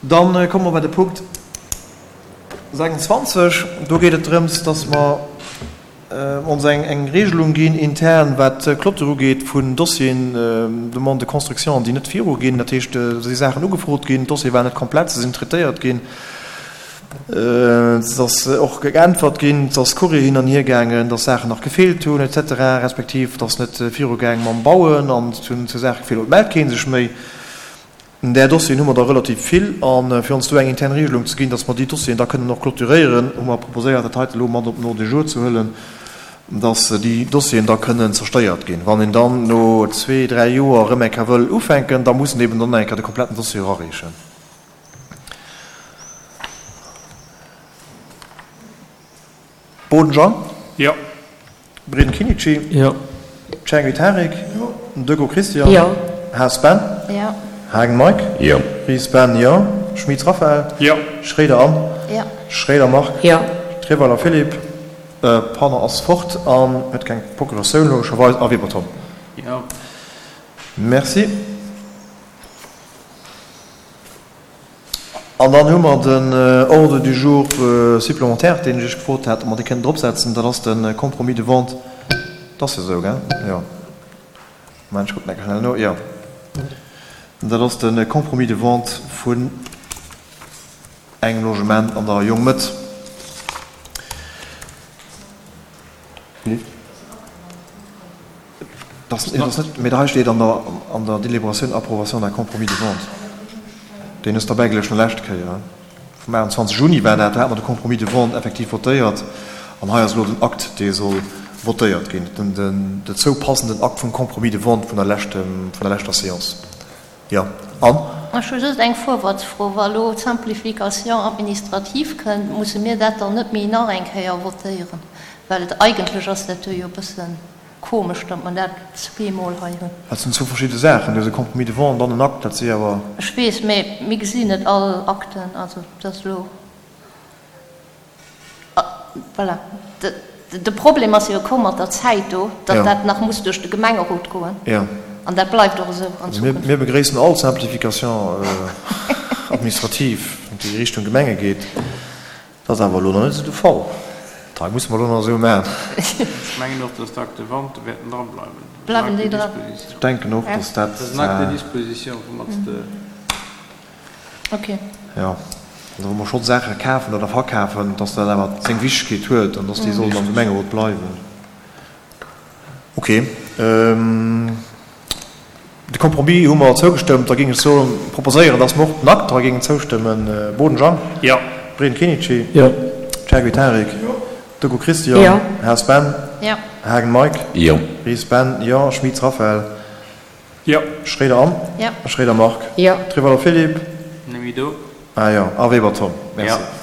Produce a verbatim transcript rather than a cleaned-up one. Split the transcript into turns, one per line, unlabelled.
Dann komme mer bei de Punkt sechsundzwanzeg. Do geet et drëms, dass mer ons eng Regelung ginn intern, wat d'Clôture ugeet vun Dossieren, Demande de construction, déi net viruginn. Dat heescht, do si Saachen ugefrot ginn, d'Dossiere waren net komplett, se sinn traitéiert ginn, et ass och geäntwert ginn, et ass Courrier hin an hier gaangen, dass Saachen nach gefeelt hunn et cetera respektiv et ass net virugaang mam Bauen an et hunn zu Saache gefeelt oder et mellt kee sech méi. Där Dossieren hu mer der relativ vill a fir ons do eng intern Regelung ze ginn, dass mer déi Dossieren da kënnen och clôturéieren, hu mer proposéiert, dat heite elo mat op den Ordre du jour ze huelen, dass déi Dossieren da kënnen zerstéiert ginn. Wann een dann no zwee, dräi Joer erëm eng Kéier wëll ufänken, da muss en eben dann eng Kéier de kompletten Dossier erareechen. Boden Jean.
Jo.
Breden Kinici.
Jo.
Cengi Tarik.
Jo.
Deco Christian.
Jo.
Haas Ben.
Jo.
Haagen Mike.
Jo.
Ries Ben, jo. Schmitz Raphaël.
Jo.
Schréider Anne.
Jo.
Schréider Marc.
Jo.
Treweiler Philippe. Pardon, ass fort an huet keng Procuratioun logescherweis. A Weber Tom.
Jo.
Merci. An dann hu mer den Ordre du jour supplémentaire, deen ech Iech gefrot hat, ob mer dee kënnen dropsetzen. Dat ass de Compromis de vente. Dat ass jo esou, gell? Jo. Moment, ech kucken eng Kéier schnell no. Jo. Dat ass de Compromis de vente vun engem Logement an der Jongmëtt. Dat ass net, mee hei steet an der, an der Délibératioun Approbation d'un compromis de vente. Deen ass derbäigeluecht vun der leschte Kéier. Vum achtundzwanzeg Juni war dat, do hate mer de Compromis de vente effektiv votéiert. An hei ass elo den Akt, dee soll votéiert ginn, den, den dozou passenden Akt vum Compromis de vente vun der leschten, vun der leschter Séance. Jo. An?
Ech hu just eng Vorwärtsfro. Wa elo d'Simplification administrative kënnt, musse mir dat dann net méi nach eng Kéier votéieren? Well et eigentlech ass dat do jo e bësse komesch, datt mer dat zweemol hei hunn.
Dat sinn zwou verschidde Saachen. Du hues e Compromis de vente an dann en Akt. Dat si awer.
Ech weess, mä mir gesinn net all Akten. Also dat ass elo. Voilà. De Problem ass jo komm mat der Zäit do, datt dat nach muss duerch de Gemengerot goen. An dat bleift och esou an Zukunft.
Mir begréissen all Simplification administrative, déi Richtung Gemenge geet. Dat ass awer elo nach net esou de Fall. Dat musse mer elo nach esou maachen.
Ech mengen och, dass d'Actes de vente wäerten drableiwen.
Bleiwen déi dran?
Ech denken och, dass dat.
Dat ass en Acte de disposition, woumat s de.
Ok.
Jo, also wa mer schonn Saache kafen oder verkafen, dass dat awer seng Wichtegkeet huet an dass déi sollen am Gemengerot bleiwen. Ok. De Compromis hu mer zougestëmmt. Da géing ech soen, proposéieren, dass mer och den Akt hei géingen zoustëmmen. Boden Jean.
Jo.
Breden Kinici.
Jo.
Chergui Tarik.
Jo.
Deco Christian.
Jo.
Haas Ben.
Jo.
Haagen Mike.
Jo.
Ries Ben, jo. Schmitz Raphaël.
Jo.
Schréider Anne.
Jo.
Schréider Marc.
Jo.
Trewallo Philippe.
Net méi do.
Ah jo, a Weber Tom. Merci.
Jo.